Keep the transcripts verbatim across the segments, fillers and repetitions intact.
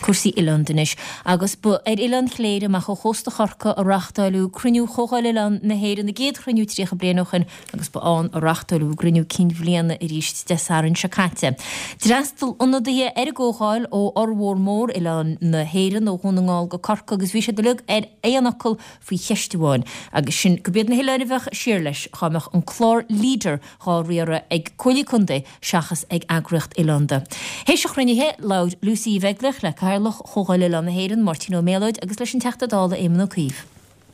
Cúrsaí oileánda anois, agus ba ar Oileán Chléire amach ó chósta Chorcaí a reáchtáileadh cruinniú Chomhdháil Oileán na hÉireann, a gcéad chruinniú tríocha bliain ó shin, agus ba ann a reáchtáileadh a gcruinniú cinn bhliana arís Dé Sathairn seo caite. D'fhreastail ionadaithe ar an gcomhdháil ó fhormhór mór oileáin na hÉireann, ó Dhún na nGall go Corcaigh, agus bhí siad uilig ar aon fhocal faoi cheist amháin, agus sin gurb iad na hoileáin a bheadh siar leis dhá mbeadh an clár Leader dhá riaradh ag Comhairlí Contae seachas ag eagraíocht oileánda. Théis an chruinnithe, labhair Lucy Uí Bheaglaoich le Cathaoirleach Chomhdháil Oileán na hÉireann, Máirtín Ó Méalóid, agus leis an Teachta Dála Éamon Ó Cuív.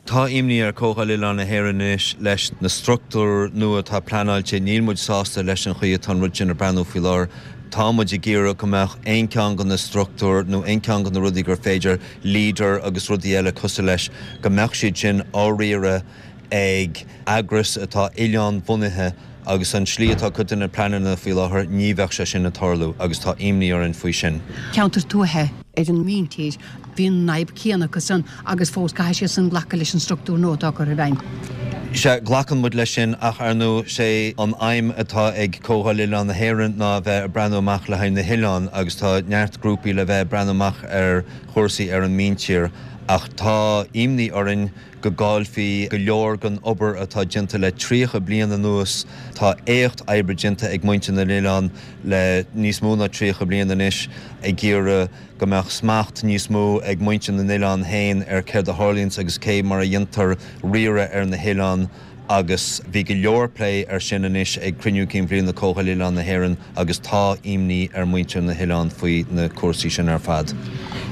Tá imní ar Chomhdháil Oileán na hÉireann anois leis na struchtúir nua atá pleanáilte. Níl muid sásta leis an chaoi atá an rud sin ag breathnú faoi láthair. Tá muid ag iarraidh go mbeadh aon cheann de na struchtúir nó aon cheann de na rudaí gur féidir Leader agus rudaí eile cosúil leis, go mbeadh siad sin á riaradh ag eagras atá oileán-bhunaithe agus an slí atá cuid de na pleananna faoi láthair, ní bheadh sé sin ag tarlú agus tá imní orainn faoi sin. Ceantar tuaithe ar an míntír, bhí an fhadhb céanna acu san agus fós caithfidh siad san glacadh leis an struchtúr nua atá curtha i bhfeidhm. Sea, glacann muid leis sin ach ar ndóigh sé an aidhm atá ag Comhdháil Oileán na hÉireann ná a bheith ag breathnú amach le haghaidh na hoileán agus tá neart grúpaí le bheith ag breathnú amach ar chúrsaí ar an míntír ach tá imní orainn go gcaillfí go leor den obair atá déanta le tríocha bliain anuas. Tá éacht oibre déanta ag muintir na n-oileán le níos mó ná tríocha bliain anois ag iarraidh go mbeadh smacht níos mó ag muintir na n-oileán féin ar céard a tharlaíonns agus cé mar a dhéantar riaradh ar na hoileáin agus bhí go leor plé ar sin anois ag Cruinniú Cinn Bhliana Comhdháil Oileán na hÉireann agus tá imní ar mhuintir na hoileán faoi na cúrsaí sin ar fad.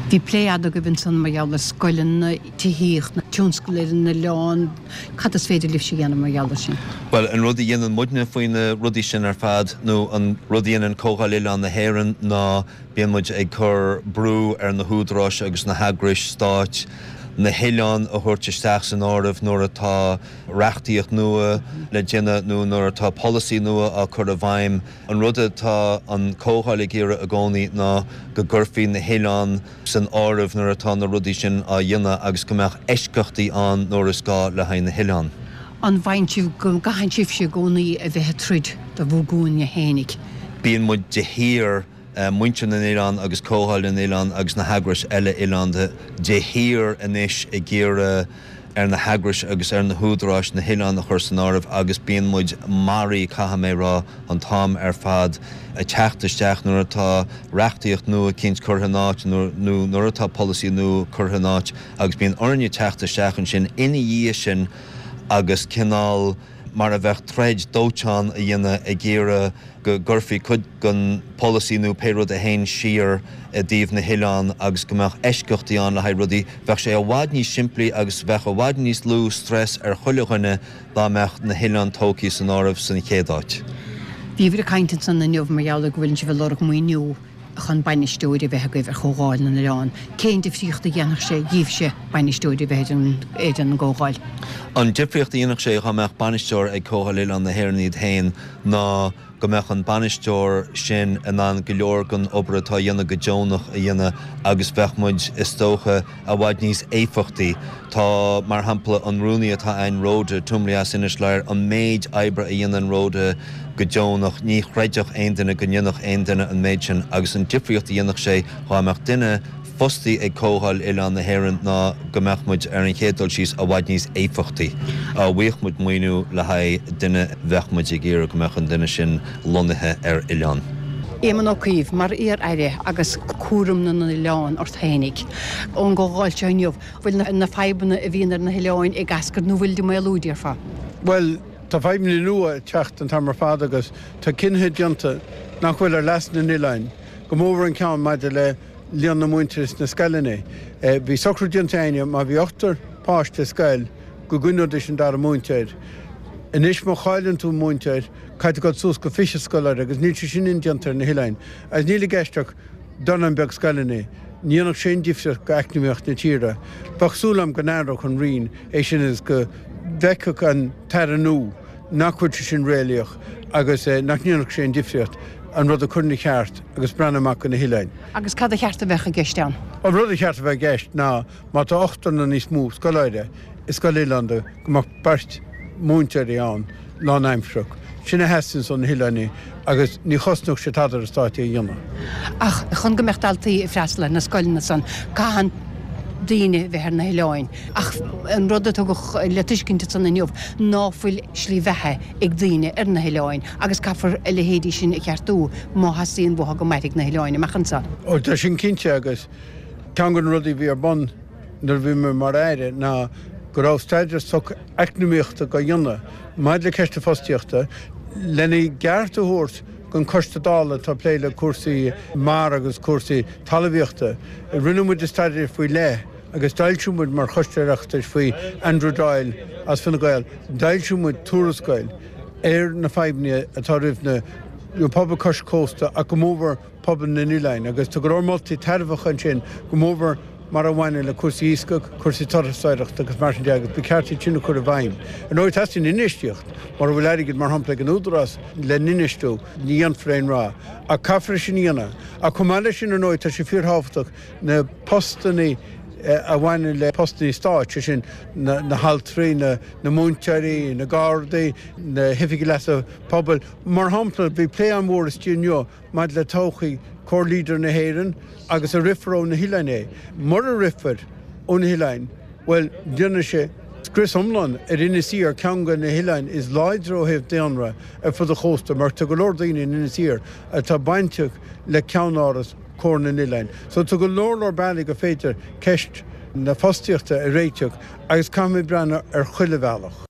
Bhí plé fhada agaibh ansan mar gheall ar scoileanna, tithíocht, tionscal ar an oileán. Cad is féidir libhse a dhéanamh mar gheall ar sin? Bhuel, an rud a dhéanann muidne faoi na rudaí sin ar fad, nó an rud a dhéanann Comhdháil Oileán na hÉireann ná bíonn muid ag cur brú ar na húdaráis agus na heagrais stáit na hoileáin a thabhairt isteach san áireamh nuair atá reachtaíocht nua le déanamh nó nuair atá polasaí nua á cur i bhfeidhm. An rud atá an Comhdháil ag iarraidh i gcónaí ná go gcuirfí na hoileáin san áireamh nuair atá na rudaí sin á dhéanamh agus go mbeadh eisceachtaí ann nuair is gá le haghaidh na hoileán. An bhfaigheann sibh go gcaitheann sibhse i gcónaí a bheith ag troid do bhur gcúinne fhéinig? Bíonn muid de shíor. muintir na n-oileán agus Comhdháil na nOileán agus na heagrais eile oileánda de shíor anois ag iarraidh ar na heagrais agus ar na húdaráis na hoileáin a chur san áireamh agus bíonn muid maraithe, caithfidh mé a rá, an t-am ar fad ag teacht isteach nuair atá reachtaíocht nua eicínt curtha in áit nó nuair atá polasaí nua curtha in áit agus bíonn orainne teacht isteach ansin ina dhiaidh sin agus cineál mar a bheadh troid dóiteáin a dhéanamh ag iarraidh go gcuirfí cuid den pholasaí nó pé rud a théann siar i dtaobh na hoileán agus go mbeadh eisceachtaí ann le haghaidh rudaí. Bheadh sé i bhfad níos simplí agus bheadh i bhfad níos lú stress ar chuile dhuine dá mbeadh na hoileáin tógtha san áireamh san chéad áit. Bhíobhair ag caint ansan inniu mar gheall ar go bhfuileann sibh ag lorg maoiniú chun bainisteoir a bheith agaibh ar Chomhdháil na nOileán. Cén difríocht a dhéanfadh sé dhíbhse bainisteoir a bheith ar an gComhdháil? An difríocht a dhéanfadh sé dhá mbeadh bainisteoir ag Comhdháil Oileán na hÉireann iad féin ná go mbeadh an bainisteoir sin in ann go leor den obair atá á dhéanamh go deonach a dhéanamh agus bheadh muid, is dócha, i bhfad níos éifeachtaí. Tá, mar shampla, an rúnaí atá a'inn, Rhoda Twomley as Inis Láir, an méid oibre a dhéanann Rhoda go deonach, ní chreidfeadh aon duine go ndéanfadh aon duine an méid sin agus an difríocht a dhéanfadh sé dhá mbeadh duine fostaí ag Comhdháil Oileán na hÉireann ná go mbeadh muid, ar an chéad dul síos, i bhfad níos éifeachtaí. Dá bhfaigheadh muid maoiniú le haghaidh duine bheadh muid ag iarraidh go mbeadh an duine sin lonnaithe ar oileán. Éamon Ó Cuív, Mar iar-aire agus cúram na n-oileán ort fhéinig, ón gcomhdháil seo inniu, bhfuil na fadhbanna a bhíonn ar na hoileáin ag eascairt nó bhfuilid ag maolú, déarfá? Bhuel, tá fadhbanna nua ag teacht an t-am ar fad agus tá cinnithe déanta nach bhfuil ar leas na n-oileáin, go mórmhór an ceann maidir le líon na múinteoirí sna scoileanna. Bhí socrú déanta againne má bhí ochtar páiste i scoil go gcoinneoidís an dara múinteoir. Anois má chailleann tú múinteoir caithfidh tú dul suas go fiche scoláire agus níl sé sin indéanta ar na hoileáin. Agus níl i gceist ach dornán beag scoileanna. Ní dhéanfadh sé aon difríocht go eacnamaíocht na tíre. Bheadh súil agam go n-athródh an Roinn é sin agus go bhfeicfeadh an tAire nua nach bhfuil sé sin réalaíoch agus nach ndéanfadh sé aon difríocht an rud a chur ina cheart agus breathnú amach do na hoileáin. Agus cad a cheart a bheadh i gceist ann? An rud a cheart a bheith i gceist ná má tá ochtar nó níos mó scoláire i scoil oileánda go mbeadh beirt mhúinteoirí ann lánaimsearach. Sin a theastaíonns ó na hoileáin agus ní chosnódh sé tada ar an stát é a dhéanamh. Ach chun go mbeadh daltaí ag freastal ar na scoileanna san, caitheann daoine bheith ar na hoileáin. Ach an rud a tugadh le tuiscint ansan inniu ná fuil slí bheatha ag daoine ar na hoileáin agus caithfear a leithéidí sin a cheartú má theastaíonn uathu go mairfidh na hoileáin amach anseo. Ó tá sin cinnte agus ceann de na rudaí a bhí ar bun nuair a bhí mé mar Aire ná go raibh staidéar socheacnamaíochta á dhéanamh maidir le ceist na fostaíochta lena gceart a thabhairt don Choiste Dála atá ag plé le cúrsaí mara agus cúrsaí talmhaíochta. Rinne muid staidéar faoi leith agus d'fhoilsigh muid mar Choiste Oireachtais faoi Andrew Doyle as Fine Gael, d'fhoilsigh muid tuarascáil ar na fadhbanna atá roimh na pobail cois cósta ach go mórmhór pobal na n-oileán agus tá go leor moltaí tairbheacha ansin go mórmhór mar a bhaineann le cúrsaí iascaigh, cúrsaí turasóireachta agus mar sin de agus ba cheart iad sin a chur i bhfeidhm. Ar ndóigh teastaíonn infheistíocht, mura bhfuil airgead mar shampla ag an Údarás le n-infheistiú, ní dhéanfar aon rath. Ach caithfear é sin a dhéanamh. Ach chomh maith leis sin ar ndóigh tá sé fíorthábhachtach na postanna a bhaineann le postanna stáit, sé sin na haltraí, na múinteoirí, na gardaí, na hoifigigh leasa pobail. Mar shampla bhí plé an-mhór istigh inniu maidir le todhchaí Comhar Leader na hÉireann agus an rithfear ó na hoileáin é. Mura rithfear ó na hoileáin, bhuel, déanfaidh sé scrios iomlán ar Inis Oírr, ceann de na hoileáin is láidre ó thaobh daonra ar fud an chósta, mar tá go leor daoine in Inis Oírr atá bainteach le ceannáras Comhar na nOileán. So tá go leor leor bealaí gur féidir ceist na fostaíochta a réiteach agus caithfimid breathnú ar chuile bhealach.